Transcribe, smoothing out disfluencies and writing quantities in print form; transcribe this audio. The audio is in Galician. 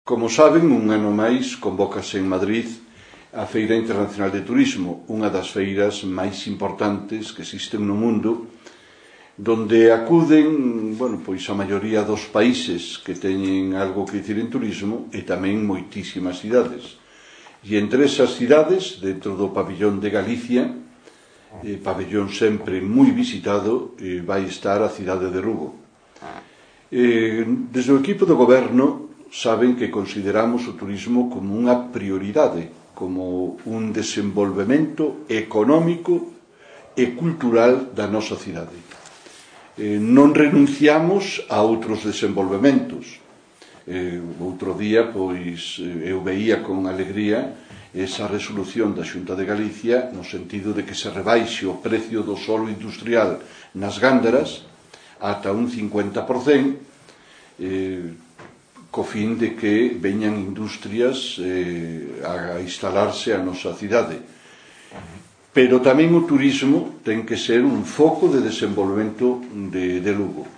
Como saben, un ano máis convócase en Madrid a Feira Internacional de Turismo, unha das feiras máis importantes que existen no mundo, donde acuden, pois a maioría dos países que teñen algo que dicir en turismo e tamén moitísimas cidades. E entre esas cidades, dentro do pabillón de Galicia, pabellón sempre moi visitado, vai estar a cidade de Lugo. Desde o equipo do goberno saben que consideramos o turismo como unha prioridade, como un desenvolvemento económico e cultural da nosa cidade. Non renunciamos a outros desenvolvementos. Outro día, eu veía con alegría esa resolución da Xunta de Galicia no sentido de que se rebaixe o precio do solo industrial nas gándaras ata un 50%, co fin de que veñan industrias a instalarse a nosa cidade. Pero tamén o turismo ten que ser un foco de desenvolvemento de Lugo.